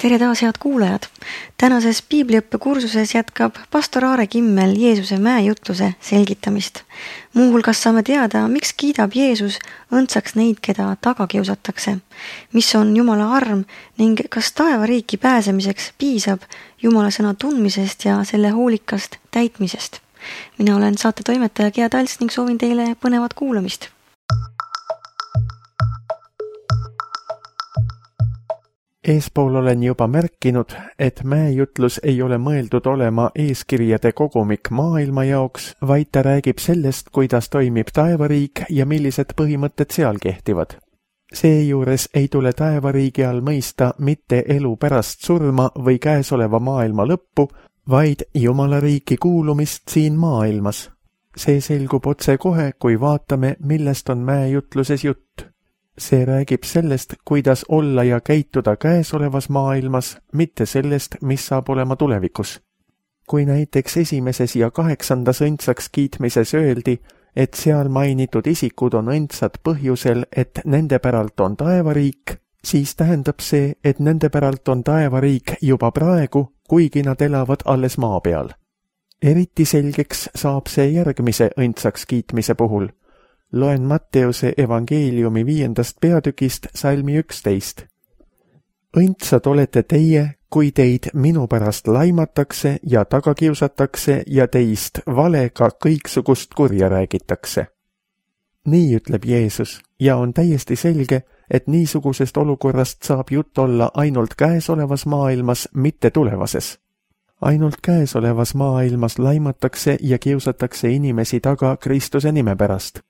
Tere taas, head kuulajad! Tänases piibliõppe kursuses jätkab pastor Aare Kimmel Jeesuse mäejutluse selgitamist. Muuhulgas saame teada, miks kiidab Jeesus õndsaks neid, keda taga kiusatakse, mis on Jumala arm ning kas taevariiki pääsemiseks piisab Jumala sõna tundmisest ja selle hoolikast täitmisest. Mina olen saate toimetaja Gea Talts ning soovin teile põnevat kuulamist. Eespool olen juba märkinud, et mäejutlus ei ole mõeldud olema eeskirjade kogumik maailma jaoks, vaid ta räägib sellest, kuidas toimib taevariik ja millised põhimõtted seal kehtivad. Seejuures ei tule taevariigi all mõista mitte elu pärast surma või käesoleva maailma lõppu, vaid Jumala riiki kuulumist siin maailmas. See selgub otse kohe, kui vaatame, millest on mäejutluses jutt. See räägib sellest, kuidas olla ja käituda käesolevas maailmas, mitte sellest, mis saab olema tulevikus. Kui näiteks 1. ja 8. õndsaks kiitmises öeldi, et seal mainitud isikud on õndsad põhjusel, et nende päralt on taevariik, siis tähendab see, et nende päralt on taevariik juba praegu, kuigi nad elavad alles maa peal. Eriti selgeks saab see järgmise õndsaks kiitmise puhul. Loen Matteuse evangeeliumi 5. peatükist salmi 11. Õndsad olete teie, kui teid minu pärast laimatakse ja taga kiusatakse ja teist valega kõiksugust kurja räägitakse. Nii ütleb Jeesus ja on täiesti selge, et niisugusest olukorrast saab jutt olla ainult käesolevas maailmas, mitte tulevases. Ainult käesolevas maailmas laimatakse ja kiusatakse inimesi taga Kristuse nime pärast.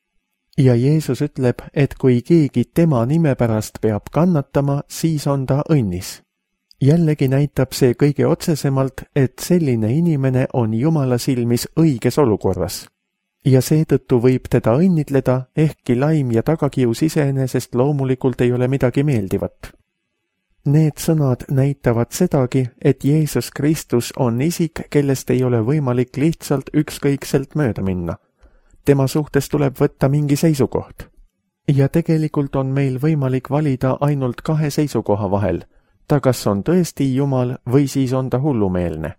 Ja Jeesus ütleb, et kui keegi tema nime pärast peab kannatama, siis on ta õnnis. Jällegi näitab see kõige otsesemalt, et selline inimene on Jumala silmis õiges olukorras. Ja seetõttu võib teda õnnitleda, ehkki laim ja tagakius iseenesest loomulikult ei ole midagi meeldivat. Need sõnad näitavad sedagi, et Jeesus Kristus on isik, kellest ei ole võimalik lihtsalt ükskõikselt mööda minna. Tema suhtes tuleb võtta mingi seisukoht. Ja tegelikult on meil võimalik valida ainult 2 seisukoha vahel. Ta kas on tõesti Jumal või siis on ta hullumeelne.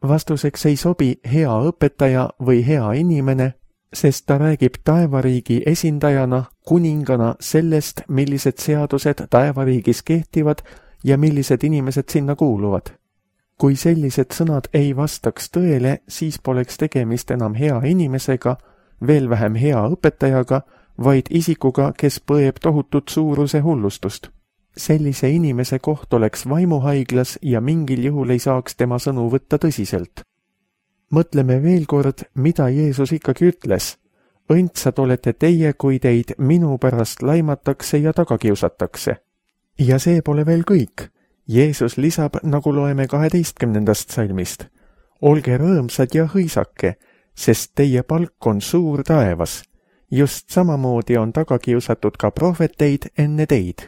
Vastuseks ei sobi hea õpetaja või hea inimene, sest ta räägib taevariigi esindajana, kuningana sellest, millised seadused taevariigis kehtivad ja millised inimesed sinna kuuluvad. Kui sellised sõnad ei vastaks tõele, siis poleks tegemist enam hea inimesega, veel vähem hea õpetajaga, vaid isikuga, kes põeb tohutut suuruse hullustust. Sellise inimese koht oleks vaimuhaiglas ja mingil juhul ei saaks tema sõnu võtta tõsiselt. Mõtleme veel kord, mida Jeesus ikkagi ütles. Õndsad olete teie, kui teid minu pärast laimatakse ja taga kiusatakse. Ja see pole veel kõik. Jeesus lisab, nagu loeme 12. salmist. Olge rõõmsad ja hõisake, sest teie palk on suur taevas. Just samamoodi on taga kiusatud ka prohveteid enne teid.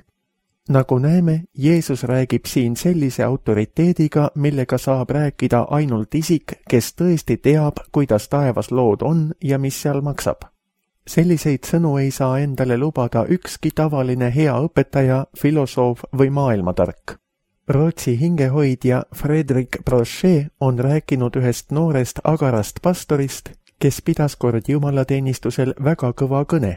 Nagu näeme, Jeesus räägib siin sellise autoriteediga, millega saab rääkida ainult isik, kes tõesti teab, kuidas taevas lood on ja mis seal maksab. Selliseid sõnu ei saa endale lubada ükski tavaline hea õpetaja, filosoof või maailmatark. Rootsi hingehoidja Fredrik Brochet on rääkinud ühest noorest agarast pastorist, kes pidas kord jumalateenistusel väga kõva kõne.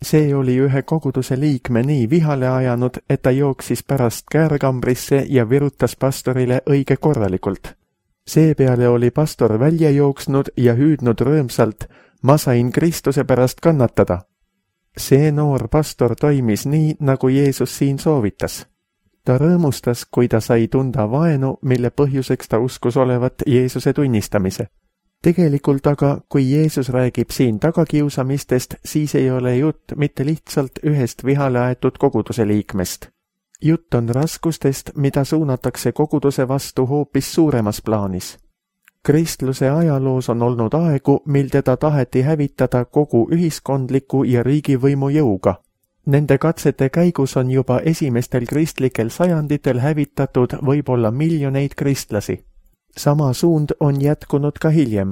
See oli ühe koguduse liikme nii vihale ajanud, et ta jooksis pärast käärkambrisse ja virutas pastorile õige korralikult. Seepeale oli pastor välja jooksnud ja hüüdnud rõõmsalt, ma sain Kristuse pärast kannatada. See noor pastor toimis nii, nagu Jeesus siin soovitas. Ta rõõmustas, kui ta sai tunda vaenu, mille põhjuseks ta uskus olevat Jeesuse tunnistamise. Tegelikult aga, kui Jeesus räägib siin tagakiusamistest, siis ei ole jutt mitte lihtsalt ühest vihale aetud koguduse liikmest. Jutt on raskustest, mida suunatakse koguduse vastu hoopis suuremas plaanis. Kristluse ajaloos on olnud aegu, mil teda taheti hävitada kogu ühiskondliku ja riigivõimu jõuga. Nende katsete käigus on juba esimestel kristlikel sajanditel hävitatud võib-olla miljoneid kristlasi. Sama suund on jätkunud ka hiljem.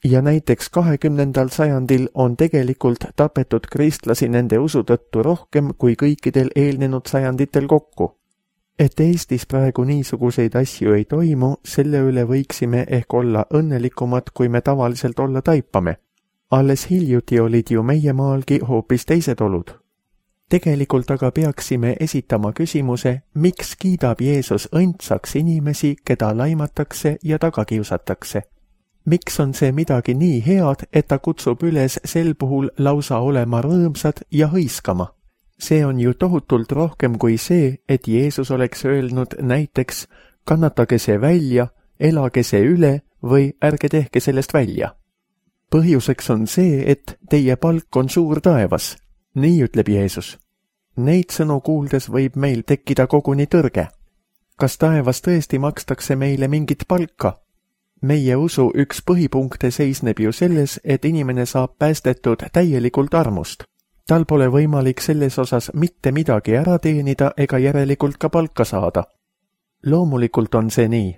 Ja näiteks 20. sajandil on tegelikult tapetud kristlasi nende usu tõttu rohkem kui kõikidel eelnenud sajanditel kokku. Et Eestis praegu niisuguseid asju ei toimu, selle üle võiksime ehk olla õnnelikumad, kui me tavaliselt olla taipame. Alles hiljuti olid ju meie maalgi hoopis teised olud. Tegelikult aga peaksime esitama küsimuse, miks kiidab Jeesus õndsaks inimesi, keda laimatakse ja tagakiusatakse. Miks on see midagi nii head, et ta kutsub üles sel puhul lausa olema rõõmsad ja hõiskama? See on ju tohutult rohkem kui see, et Jeesus oleks öelnud näiteks kannatage see välja, elage see üle või ärge tehke sellest välja. Põhjuseks on see, et teie palk on suur taevas. Nii ütleb Jeesus. Neid sõnu kuuldes võib meil tekkida koguni tõrge. Kas taevas tõesti makstakse meile mingit palka? Meie usu üks põhipunkte seisneb ju selles, et inimene saab päästetud täielikult armust. Tal pole võimalik selles osas mitte midagi ära teenida ega järelikult ka palka saada. Loomulikult on see nii.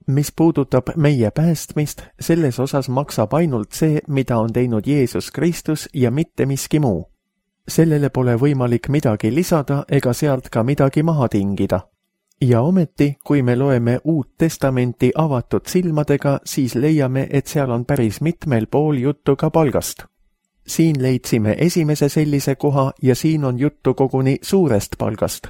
Mis puudutab meie päästmist, selles osas maksab ainult see, mida on teinud Jeesus Kristus ja mitte miski muu. Sellele pole võimalik midagi lisada ega sealt ka midagi maha tingida. Ja ometi, kui me loeme Uut Testamenti avatud silmadega, siis leiame, et seal on päris mitmel pool juttu ka palgast. Siin leidsime esimese sellise koha ja siin on juttu koguni suurest palgast.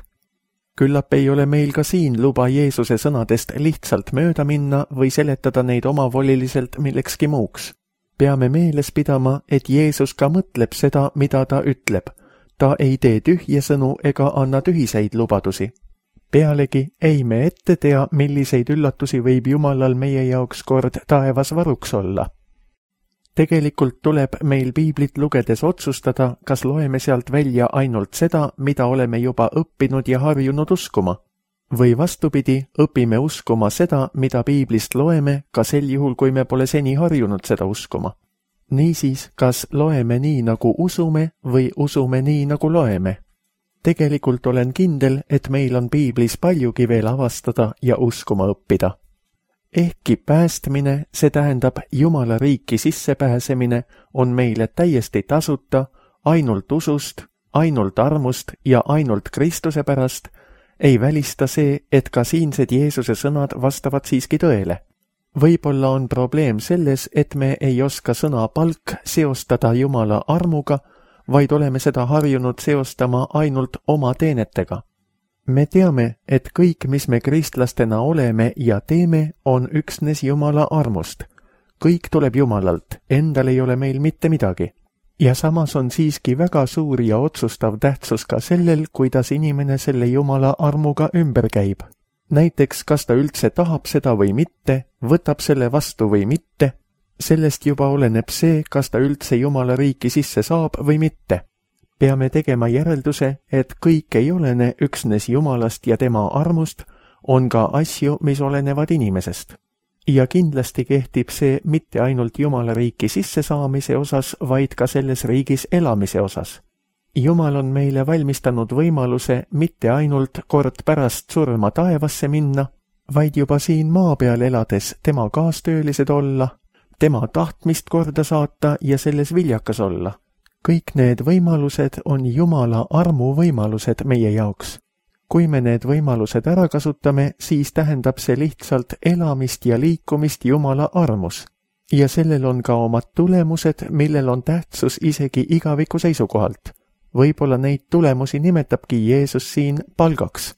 Küllap ei ole meil ka siin luba Jeesuse sõnadest lihtsalt mööda minna või seletada neid omavoliliselt millekski muuks. Peame meeles pidama, et Jeesus ka mõtleb seda, mida ta ütleb. Ta ei tee tühje sõnu ega anna tühiseid lubadusi. Pealegi ei me ette tea, milliseid üllatusi võib Jumalal meie jaoks kord taevas varuks olla. Tegelikult tuleb meil piiblit lugedes otsustada, kas loeme sealt välja ainult seda, mida oleme juba õppinud ja harjunud uskuma. Või vastupidi, õpime uskuma seda, mida piiblist loeme, ka sel juhul, kui me pole seni harjunud seda uskuma. Niisiis, kas loeme nii, nagu usume või usume nii, nagu loeme? Tegelikult olen kindel, et meil on piiblis paljugi veel avastada ja uskuma õppida. Ehkki päästmine, see tähendab Jumala riiki sissepääsemine, on meile täiesti tasuta, ainult usust, ainult armust ja ainult Kristuse pärast, ei välista see, et ka siinsed Jeesuse sõnad vastavad siiski tõele. Võib-olla on probleem selles, et me ei oska sõna palk seostada Jumala armuga, vaid oleme seda harjunud seostama ainult oma teenetega. Me teame, et kõik, mis me kristlastena oleme ja teeme, on üksnes Jumala armust. Kõik tuleb Jumalalt, endal ei ole meil mitte midagi. Ja samas on siiski väga suur ja otsustav tähtsus ka sellel, kuidas inimene selle Jumala armuga ümber käib. Näiteks, kas ta üldse tahab seda või mitte, võtab selle vastu või mitte. Sellest juba oleneb see, kas ta üldse Jumala riiki sisse saab või mitte. Peame tegema järelduse, et kõik ei olene üksnes Jumalast ja tema armust, on ka asju, mis olenevad inimesest. Ja kindlasti kehtib see mitte ainult Jumala riiki sisse saamise osas, vaid ka selles riigis elamise osas. Jumal on meile valmistanud võimaluse mitte ainult kord pärast surma taevasse minna, vaid juba siin maa peal elades tema kaastöölised olla, tema tahtmist korda saata ja selles viljakas olla. Kõik need võimalused on Jumala armu võimalused meie jaoks. Kui me need võimalused ära kasutame, siis tähendab see lihtsalt elamist ja liikumist Jumala armus. Ja sellel on ka omad tulemused, millel on tähtsus isegi igaviku seisukohalt. Võib-olla neid tulemusi nimetabki Jeesus siin palgaks.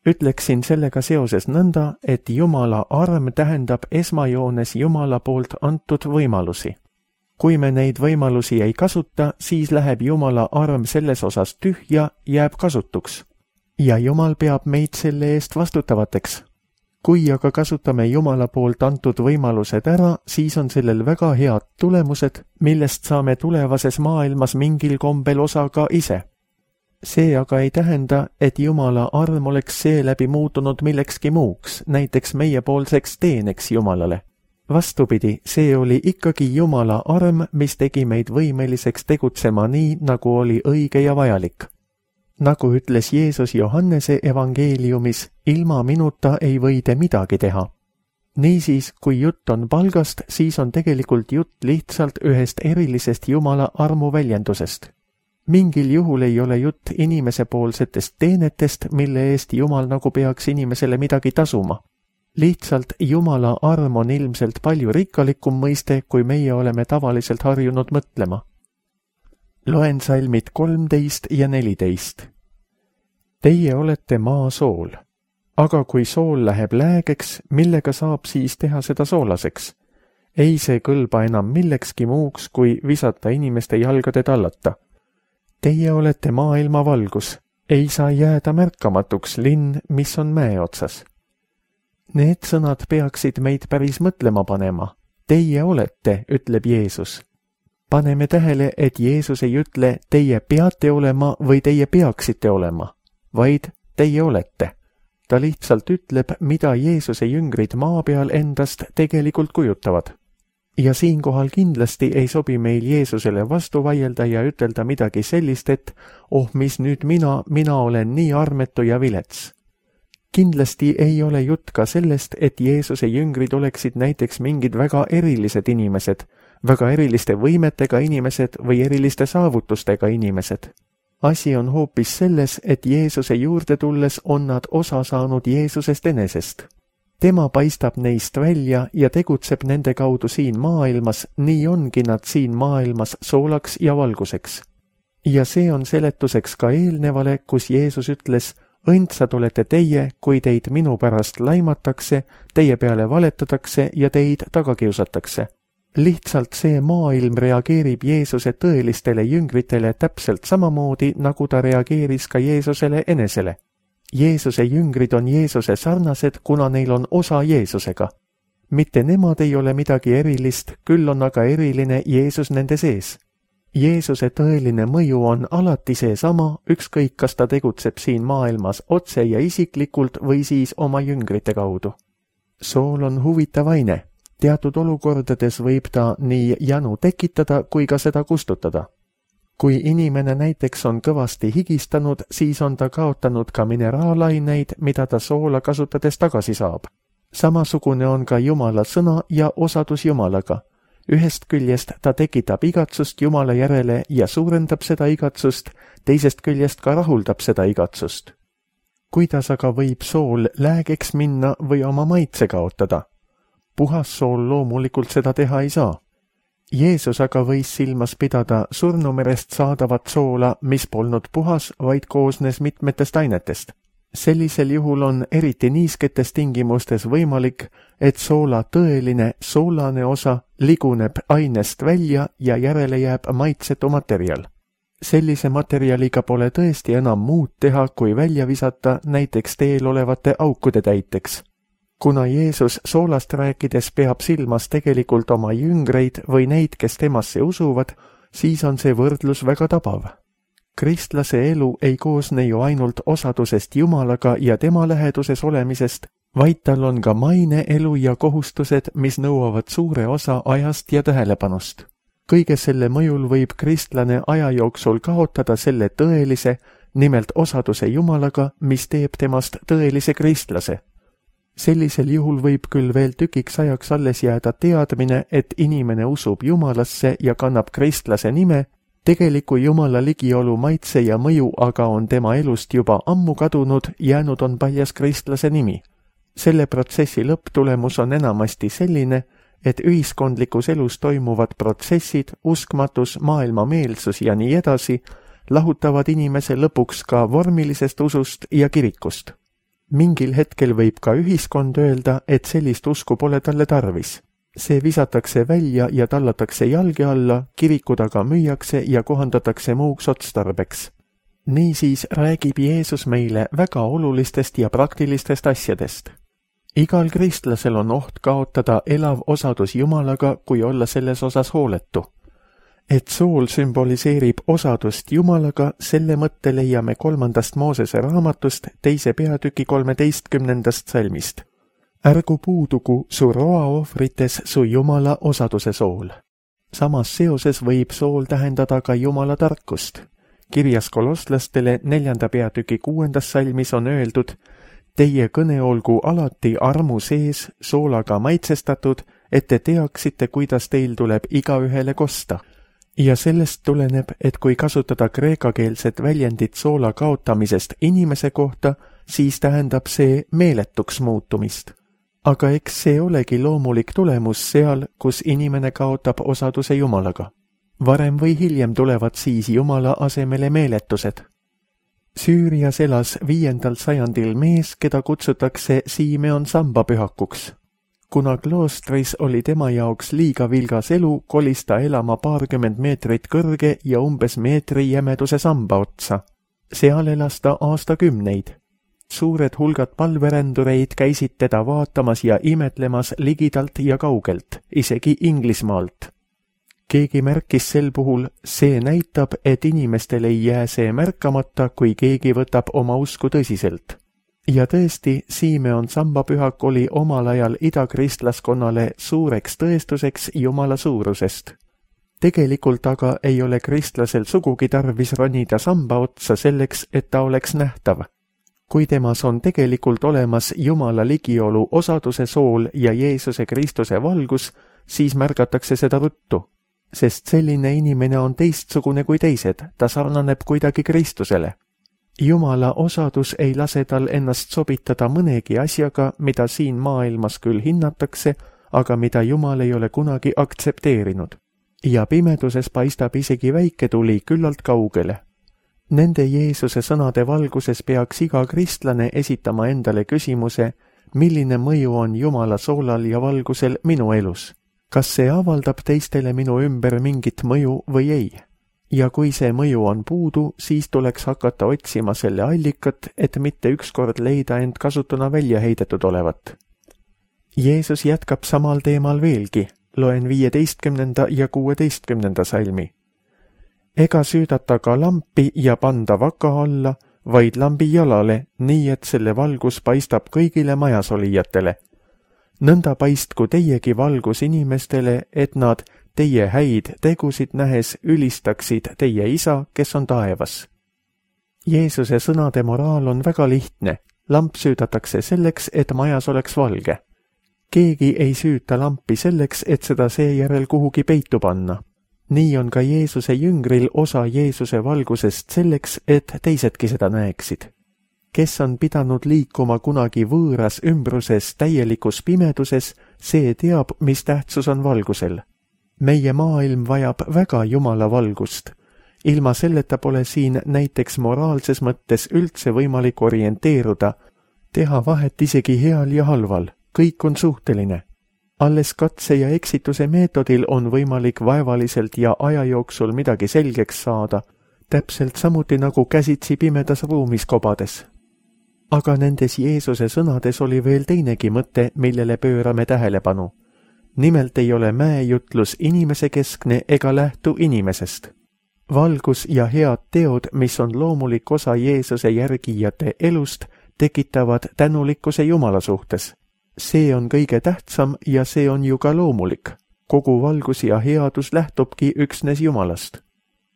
Ütleksin sellega seoses nõnda, et Jumala arm tähendab esmajoones Jumala poolt antud võimalusi. Kui me neid võimalusi ei kasuta, siis läheb Jumala arm selles osas tühja, jääb kasutuks. Ja Jumal peab meid selle eest vastutavateks. Kui aga kasutame Jumala poolt antud võimalused ära, siis on sellel väga head tulemused, millest saame tulevases maailmas mingil kombel osa ka ise. See aga ei tähenda, et Jumala arm oleks seeläbi muutunud millekski muuks, näiteks meiepoolseks teeneks Jumalale. Vastupidi, see oli ikkagi Jumala arm, mis tegi meid võimeliseks tegutsema nii, nagu oli õige ja vajalik. Nagu ütles Jeesus Johannese evangeeliumis, ilma minuta ei või te midagi teha. Niisiis, kui jutt on palgast, siis on tegelikult jutt lihtsalt ühest erilisest Jumala armu väljendusest. Mingil juhul ei ole jutt inimesepoolsetest teenetest, mille eest Jumal nagu peaks inimesele midagi tasuma. Lihtsalt Jumala arm on ilmselt palju rikkalikum mõiste, kui meie oleme tavaliselt harjunud mõtlema. Loen salmid 13 ja 14. Teie olete maa sool, aga kui sool läheb läägeks, millega saab siis teha seda soolaseks? Ei see kõlba enam millekski muuks, kui visata inimeste jalgade tallata. Teie olete maailma valgus, ei saa jääda märkamatuks linn, mis on mäe otsas. Need sõnad peaksid meid päris mõtlema panema. Teie olete, ütleb Jeesus. Paneme tähele, et Jeesus ei ütle, teie peate olema või teie peaksite olema, vaid teie olete. Ta lihtsalt ütleb, mida Jeesuse jüngrid maa peal endast tegelikult kujutavad. Ja siinkohal kindlasti ei sobi meil Jeesusele vastu vaielda ja ütelda midagi sellist, et mis nüüd mina olen nii armetu ja vilets. Kindlasti ei ole jutt ka sellest, et Jeesuse jüngrid oleksid näiteks mingid väga erilised inimesed, väga eriliste võimetega inimesed või eriliste saavutustega inimesed. Asi on hoopis selles, et Jeesuse juurde tulles on nad osa saanud Jeesusest enesest. Tema paistab neist välja ja tegutseb nende kaudu siin maailmas, nii ongi nad siin maailmas soolaks ja valguseks. Ja see on seletuseks ka eelnevale, kus Jeesus ütles, õndsad olete teie, kui teid minu pärast laimatakse, teie peale valetatakse ja teid taga kiusatakse. Lihtsalt see maailm reageerib Jeesuse tõelistele jüngritele täpselt samamoodi, nagu ta reageeris ka Jeesusele enesele. Jeesuse jüngrid on Jeesuse sarnased, kuna neil on osa Jeesusega. Mitte nemad ei ole midagi erilist, küll on aga eriline Jeesus nende sees. Jeesuse tõeline mõju on alati seesama, ükskõik kas ta tegutseb siin maailmas otse ja isiklikult või siis oma jüngrite kaudu. Sool on huvitav aine. Teatud olukordades võib ta nii janu tekitada kui ka seda kustutada. Kui inimene näiteks on kõvasti higistanud, siis on ta kaotanud ka mineraalaineid, mida ta soola kasutades tagasi saab. Samasugune on ka Jumala sõna ja osadus Jumalaga. Ühest küljest ta tekitab igatsust Jumala järele ja suurendab seda igatsust, teisest küljest ka rahuldab seda igatsust. Kuidas aga võib sool läägeks minna või oma maitse kaotada? Puhas sool loomulikult seda teha ei saa. Jeesus aga võis silmas pidada surnumerest saadavat soola, mis polnud puhas, vaid koosnes mitmetest ainetest. Sellisel juhul on eriti niisketes tingimustes võimalik, et soola tõeline soolane osa liguneb ainest välja ja järele jääb maitsetu materjal. Sellise materjaliga pole tõesti enam muud teha, kui välja visata näiteks teel olevate aukude täiteks. Kuna Jeesus soolast rääkides peab silmas tegelikult oma jüngreid või neid, kes temasse usuvad, siis on see võrdlus väga tabav. Kristlase elu ei koosne ju ainult osadusest Jumalaga ja tema läheduses olemisest, vaid tal on ka maine elu ja kohustused, mis nõuavad suure osa ajast ja tähelepanust. Kõige selle mõjul võib kristlane aja jooksul kaotada selle tõelise, nimelt osaduse Jumalaga, mis teeb temast tõelise kristlase. Sellisel juhul võib küll veel tükiks ajaks alles jääda teadmine, et inimene usub Jumalasse ja kannab kristlase nime, tegeliku Jumala ligiolu maitse ja mõju aga on tema elust juba ammu kadunud, jäänud on paljas kristlase nimi. Selle protsessi lõpptulemus on enamasti selline, et ühiskondlikus elus toimuvad protsessid, uskmatus, maailmameelsus ja nii edasi, lahutavad inimese lõpuks ka vormilisest usust ja kirikust. Mingil hetkel võib ka ühiskond öelda, et sellist usku pole talle tarvis. See visatakse välja ja tallatakse jalge alla, kirikud aga müüakse ja kohandatakse muuks otstarbeks. Niisiis räägib Jeesus meile väga olulistest ja praktilistest asjadest. Igal kristlasel on oht kaotada elav osadus Jumalaga, kui olla selles osas hooletu. Et sool sümboliseerib osadust Jumalaga, selle mõtte leiame 3. Moosese raamatust 2. peatüki 13. salmist. Ärgu puudugu su roaohvrites su Jumala osaduse sool. Samas seoses võib sool tähendada ka Jumala tarkust. Kirjas kolosslastele 4. peatüki 6. salmis on öeldud, teie kõne olgu alati armu sees, soolaga maitsestatud, et te teaksite, kuidas teil tuleb igaühele kosta. Ja sellest tuleneb, et kui kasutada kreekakeelset väljendit soola kaotamisest inimese kohta, siis tähendab see meeletuks muutumist. Aga eks see olegi loomulik tulemus seal, kus inimene kaotab osaduse Jumalaga. Varem või hiljem tulevad siis Jumala asemele meeletused. Süürias elas 5. sajandil mees, keda kutsutakse Simeon sambapühakuks. Kuna kloostris oli tema jaoks liiga vilgas elu, kolis ta elama 20 meetrit kõrge ja umbes meetri jämeduse samba otsa. Seal elas ta aastakümneid. Suured hulgad palverändureid käisid teda vaatamas ja imetlemas ligidalt ja kaugelt, isegi Inglismaalt. Keegi märkis sel puhul, see näitab, et inimestel ei jää see märkamata, kui keegi võtab oma usku tõsiselt. Ja tõesti, Simeon sambapühak oli omal ajal idakristlaskonnale suureks tõestuseks Jumala suurusest. Tegelikult aga ei ole kristlasel sugugi tarvis ronida samba otsa selleks, et ta oleks nähtav. Kui temas on tegelikult olemas Jumala ligiolu osaduse sool ja Jeesuse Kristuse valgus, siis märgatakse seda ruttu. Sest selline inimene on teistsugune kui teised, ta sarnaneb kuidagi Kristusele. Jumala osadus ei lase tal ennast sobitada mõnegi asjaga, mida siin maailmas küll hinnatakse, aga mida Jumal ei ole kunagi aktsepteerinud. Ja pimeduses paistab isegi väike tuli küllalt kaugele. Nende Jeesuse sõnade valguses peaks iga kristlane esitama endale küsimuse, milline mõju on Jumala soolal ja valgusel minu elus. Kas see avaldab teistele minu ümber mingit mõju või ei? Ja kui see mõju on puudu, siis tuleks hakata otsima selle allikat, et mitte ükskord leida end kasutuna välja heidetud olevat. Jeesus jätkab samal teemal veelgi, loen 15. ja 16. salmi. Ega süüdata ka lampi ja panda vaka alla, vaid lambi jalale, nii et selle valgus paistab kõigile majas olijatele. Nõnda paistku teiegi valgus inimestele, et nad teie häid tegusid nähes ülistaksid teie isa, kes on taevas. Jeesuse sõnade moraal on väga lihtne. Lamp süüdatakse selleks, et majas oleks valge. Keegi ei süüta lampi selleks, et seda seejärel kuhugi peitu panna. Nii on ka Jeesuse jüngril osa Jeesuse valgusest selleks, et teisedki seda näeksid. Kes on pidanud liikuma kunagi võõras ümbruses täielikus pimeduses, see teab, mis tähtsus on valgusel. Meie maailm vajab väga Jumala valgust. Ilma selleta pole siin näiteks moraalses mõttes üldse võimalik orienteeruda, teha vahet isegi heal ja halval, kõik on suhteline. Alles katse ja eksituse meetodil on võimalik vaevaliselt ja aja jooksul midagi selgeks saada, täpselt samuti nagu käsitsi pimedas ruumis kobades. Aga nendes Jeesuse sõnades oli veel teinegi mõte, millele pöörame tähelepanu. Nimelt ei ole mäejutlus inimese keskne ega lähtu inimesest. Valgus ja head teod, mis on loomulik osa Jeesuse järgijate elust, tekitavad tänulikkuse Jumala suhtes. See on kõige tähtsam ja see on ju ka loomulik. Kogu valgus ja headus lähtubki üksnes Jumalast.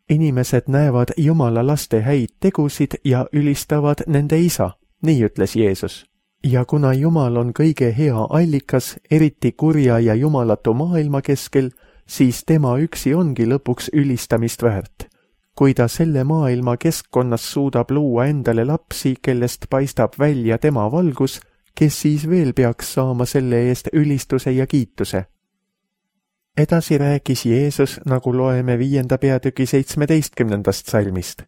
Inimesed näevad Jumala laste häid tegusid ja ülistavad nende isa, nii ütles Jeesus. Ja kuna Jumal on kõige hea allikas, eriti kurja ja jumalatu maailma keskel, siis tema üksi ongi lõpuks ülistamist väärt. Kui ta selle maailma keskkonnas suudab luua endale lapsi, kellest paistab välja tema valgus, kes siis veel peaks saama selle eest ülistuse ja kiituse? Edasi rääkis Jeesus, nagu loeme 5. peatüki 17. salmist.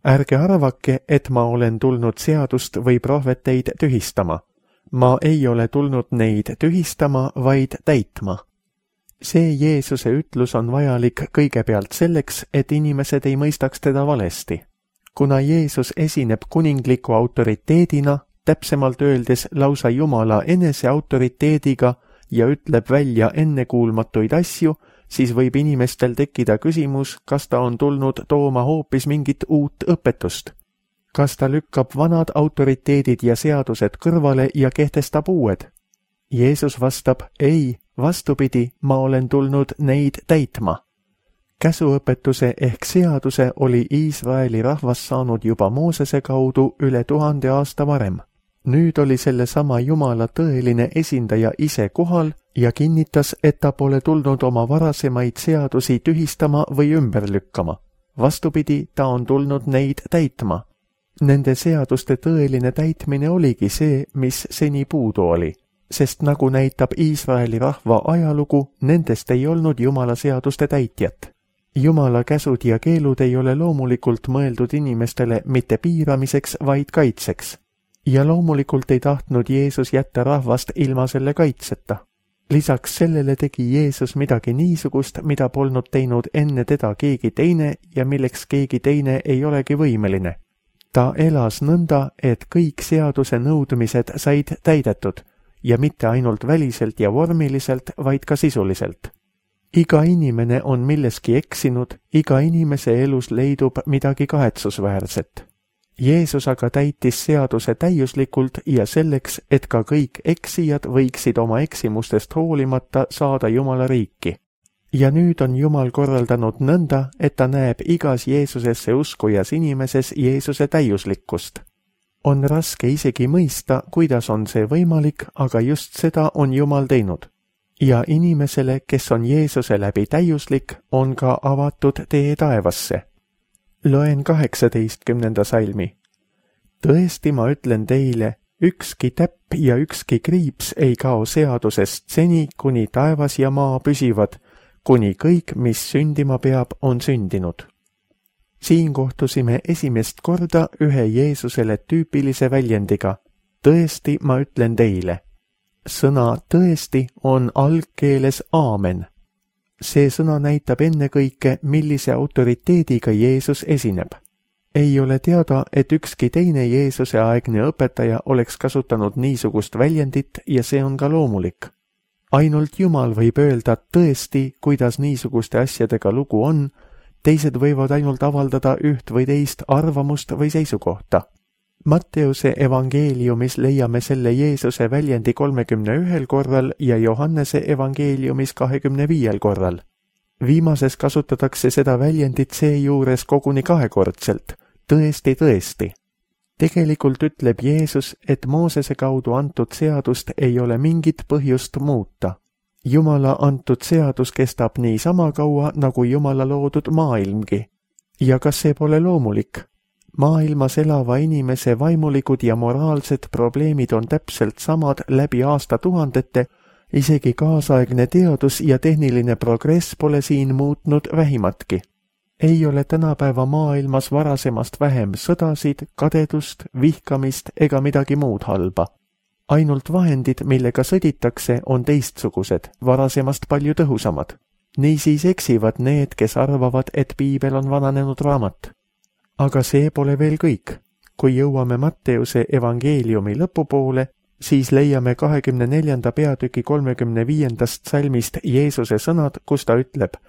Ärge arvake, et ma olen tulnud seadust või prohveteid tühistama. Ma ei ole tulnud neid tühistama, vaid täitma. See Jeesuse ütlus on vajalik kõigepealt selleks, et inimesed ei mõistaks teda valesti. Kuna Jeesus esineb kuningliku autoriteedina, täpsemalt öeldes lausa Jumala enese autoriteediga ja ütleb välja ennekuulmatuid asju, siis võib inimestel tekkida küsimus, kas ta on tulnud tooma hoopis mingit uut õpetust. Kas ta lükkab vanad autoriteedid ja seadused kõrvale ja kehtestab uued? Jeesus vastab, ei, vastupidi, ma olen tulnud neid täitma. Käsuõpetuse ehk seaduse oli Iisraeli rahvas saanud juba Moosese kaudu üle 1000 aasta varem. Nüüd oli sellesama Jumala tõeline esindaja ise kohal ja kinnitas, et ta pole tulnud oma varasemaid seadusi tühistama või ümber lükkama. Vastupidi, ta on tulnud neid täitma. Nende seaduste tõeline täitmine oligi see, mis seni puudu oli, sest nagu näitab Iisraeli rahva ajalugu, nendest ei olnud Jumala seaduste täitjat. Jumala käsud ja keelud ei ole loomulikult mõeldud inimestele mitte piiramiseks, vaid kaitseks. Ja loomulikult ei tahtnud Jeesus jätta rahvast ilma selle kaitseta. Lisaks sellele tegi Jeesus midagi niisugust, mida polnud teinud enne teda keegi teine ja milleks keegi teine ei olegi võimeline. Ta elas nõnda, et kõik seaduse nõudmised said täidetud ja mitte ainult väliselt ja vormiliselt, vaid ka sisuliselt. Iga inimene on milleski eksinud, iga inimese elus leidub midagi kahetsusväärset. Jeesus aga täitis seaduse täiuslikult ja selleks, et ka kõik eksijad võiksid oma eksimustest hoolimata saada Jumala riiki. Ja nüüd on Jumal korraldanud nõnda, et ta näeb igas Jeesusesse uskujas inimeses Jeesuse täiuslikkust. On raske isegi mõista, kuidas on see võimalik, aga just seda on Jumal teinud. Ja inimesele, kes on Jeesuse läbi täiuslik, on ka avatud tee taevasse. Loen 18. salmi. Tõesti, ma ütlen teile, ükski täpp ja ükski kriips ei kao seadusest seni, kuni taevas ja maa püsivad, kuni kõik, mis sündima peab, on sündinud. Siin kohtusime esimest korda ühe Jeesusele tüüpilise väljendiga. Tõesti, ma ütlen teile. Sõna tõesti on algkeeles aamen. See sõna näitab ennekõike, millise autoriteediga Jeesus esineb. Ei ole teada, et ükski teine Jeesuse aegne õpetaja oleks kasutanud niisugust väljendit ja see on ka loomulik. Ainult Jumal võib öelda tõesti, kuidas niisuguste asjadega lugu on, teised võivad ainult avaldada üht või teist arvamust või seisukohta. Matteuse evangeeliumis leiame selle Jeesuse väljendi 31 korral ja Johannese evangeeliumis 25 korral. Viimases kasutatakse seda väljendit seejuures koguni kahekordselt, tõesti, tõesti. Tegelikult ütleb Jeesus, et Moosese kaudu antud seadust ei ole mingit põhjust muuta. Jumala antud seadus kestab nii sama kaua, nagu Jumala loodud maailmgi. Ja kas see pole loomulik? Maailmas elava inimese vaimulikud ja moraalsed probleemid on täpselt samad läbi aastatuhandete, isegi kaasaegne teadus ja tehniline progress pole siin muutnud vähimatki. Ei ole tänapäeva maailmas varasemast vähem sõdasid, kadedust, vihkamist ega midagi muud halba. Ainult vahendid, millega sõditakse, on teistsugused, varasemast palju tõhusamad. Niisiis eksivad need, kes arvavad, et piibel on vananenud raamat. Aga see pole veel kõik. Kui jõuame Matteuse evangeeliumi lõpupoole, siis leiame 24. peatüki 35. salmist Jeesuse sõnad, kus ta ütleb: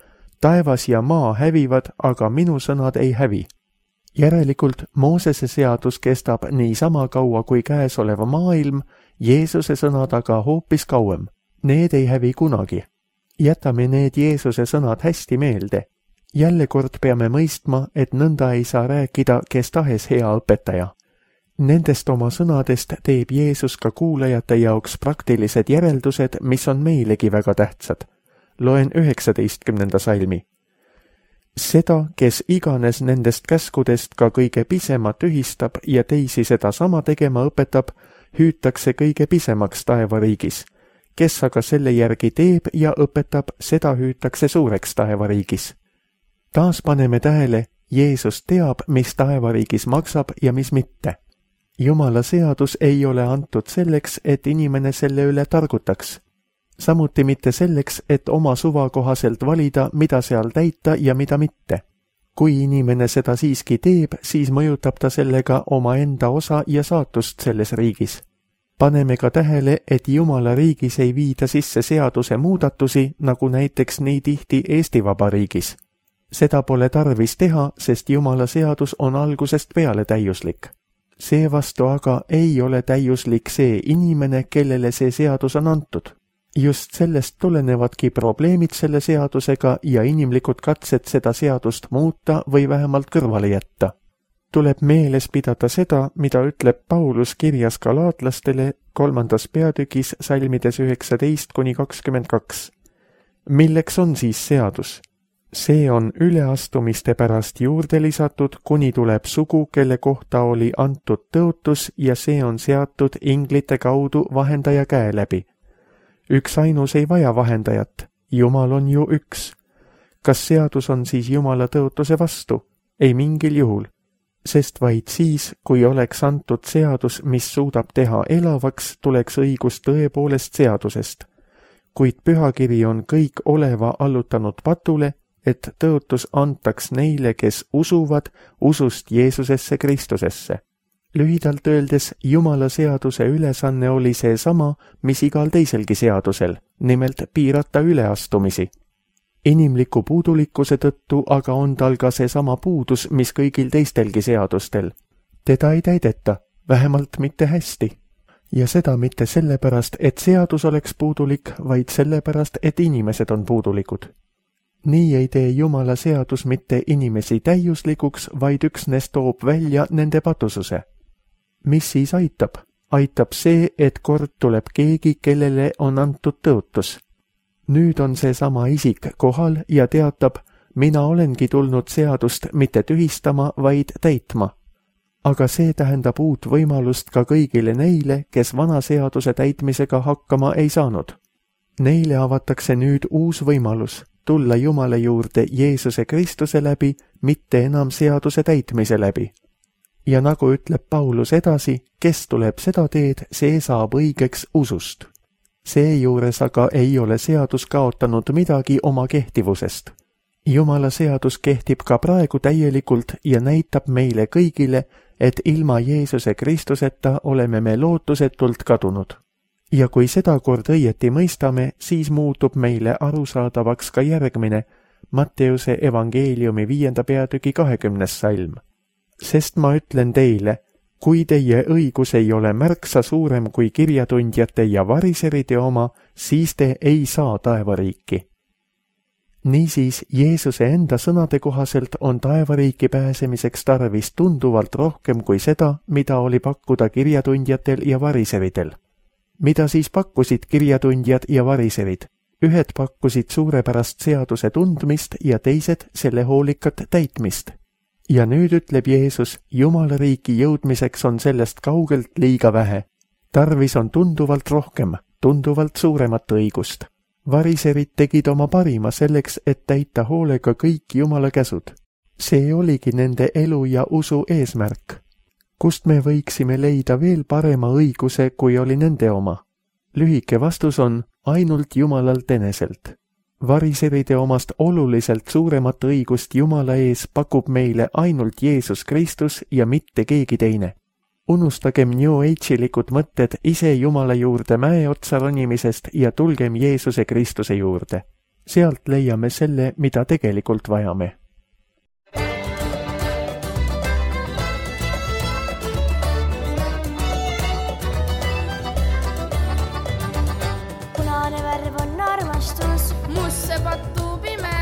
taevas ja maa hävivad, aga minu sõnad ei hävi. Järelikult Moosese seadus kestab nii sama kaua kui käesolev maailm, Jeesuse sõnad aga hoopis kauem. Need ei hävi kunagi. Jätame need Jeesuse sõnad hästi meelde. Jälle kord peame mõistma, et nõnda ei saa rääkida kes tahes hea õpetaja. Nendest oma sõnadest teeb Jeesus ka kuulajate jaoks praktilised järeldused, mis on meilegi väga tähtsad. Loen 19. salmi. Seda, kes iganes nendest käskudest ka kõige pisema tühistab ja teisi seda sama tegema õpetab, hüütakse kõige pisemaks taevariigis. Kes aga selle järgi teeb ja õpetab, seda hüütakse suureks taevariigis. Taas paneme tähele, Jeesus teab, mis taevariigis maksab ja mis mitte. Jumala seadus ei ole antud selleks, et inimene selle üle targutaks. Samuti mitte selleks, et oma suva kohaselt valida, mida seal täita ja mida mitte. Kui inimene seda siiski teeb, siis mõjutab ta sellega omaenda osa ja saatust selles riigis. Paneme ka tähele, et Jumala riigis ei viida sisse seaduse muudatusi, nagu näiteks nii tihti Eesti Vabariigis. Seda pole tarvis teha, sest Jumala seadus on algusest peale täiuslik. Seevastu aga ei ole täiuslik see inimene, kellele see seadus on antud. Just sellest tulenevadki probleemid selle seadusega ja inimlikud katsed seda seadust muuta või vähemalt kõrvale jätta. tuleb meeles pidada seda, mida ütleb Paulus kirjas galaatlastele 3. peatükis salmides 19-22. Milleks on siis seadus? See on üleastumiste pärast juurde lisatud, kuni tuleb sugu, kelle kohta oli antud tõotus ja see on seatud inglite kaudu vahendaja käe läbi. Üks ainus ei vaja vahendajat, Jumal on ju üks. Kas seadus on siis Jumala tõotuse vastu? Ei mingil juhul, sest vaid siis, kui oleks antud seadus, mis suudab teha elavaks, tuleks õigus tõepoolest seadusest. Kuid pühakiri on kõik oleva allutanud patule, et tõotus antaks neile, kes usuvad usust Jeesusesse Kristusesse. Lühidalt öeldes, Jumala seaduse ülesanne oli seesama, mis igal teiselgi seadusel, nimelt piirata üleastumisi. Inimliku puudulikkuse tõttu aga on tal ka seesama puudus, mis kõigil teistelgi seadustel. Teda ei täideta, vähemalt mitte hästi. Ja seda mitte sellepärast, et seadus oleks puudulik, vaid sellepärast, et inimesed on puudulikud. Nii ei tee Jumala seadus mitte inimesi täiuslikuks, vaid üksnes toob välja nende patususe. Mis siis aitab? Aitab see, et kord tuleb keegi, kellele on antud tõotus. Nüüd on seesama isik kohal ja teatab, mina olengi tulnud seadust mitte tühistama, vaid täitma. Aga see tähendab uut võimalust ka kõigile neile, kes vana seaduse täitmisega hakkama ei saanud. Neile avatakse nüüd uus võimalus, tulla Jumala juurde Jeesuse Kristuse läbi, mitte enam seaduse täitmise läbi. Ja nagu ütleb Paulus edasi, kes tuleb seda teed, see saab õigeks usust. Seejuures aga ei ole seadus kaotanud midagi oma kehtivusest. Jumala seadus kehtib ka praegu täielikult ja näitab meile kõigile, et ilma Jeesuse Kristuseta oleme me lootusetult kadunud. Ja kui seda kord õieti mõistame, siis muutub meile arusaadavaks ka järgmine, Matteuse evangeeliumi 5. peatüki 20. salm. Sest ma ütlen teile, kui teie õigus ei ole märksa suurem kui kirjatundjate ja variseride oma, siis te ei saa taevariiki. Niisiis, Jeesuse enda sõnade kohaselt on taevariiki pääsemiseks tarvis tunduvalt rohkem kui seda, mida oli pakkuda kirjatundjatel ja variseridel. Mida siis pakkusid kirjatundjad ja variserid? Ühed pakkusid suurepärast seaduse tundmist ja teised selle hoolikat täitmist. Ja nüüd ütleb Jeesus, Jumala riiki jõudmiseks on sellest kaugelt liiga vähe. Tarvis on tunduvalt rohkem, tunduvalt suuremat õigust. Variserid tegid oma parima selleks, et täita hoolega kõik Jumala käsud. See oligi nende elu ja usu eesmärk. Kust me võiksime leida veel parema õiguse, kui oli nende oma? Lühike vastus on ainult Jumalalt eneselt. Variseride omast oluliselt suuremat õigust Jumala ees pakub meile ainult Jeesus Kristus ja mitte keegi teine. Unustagem New Age'ilikud mõtted ise Jumala juurde mäe otsa ronimisest ja tulgem Jeesuse Kristuse juurde. Sealt leiame selle, mida tegelikult vajame. Punane värv on armastus, musse pattu pime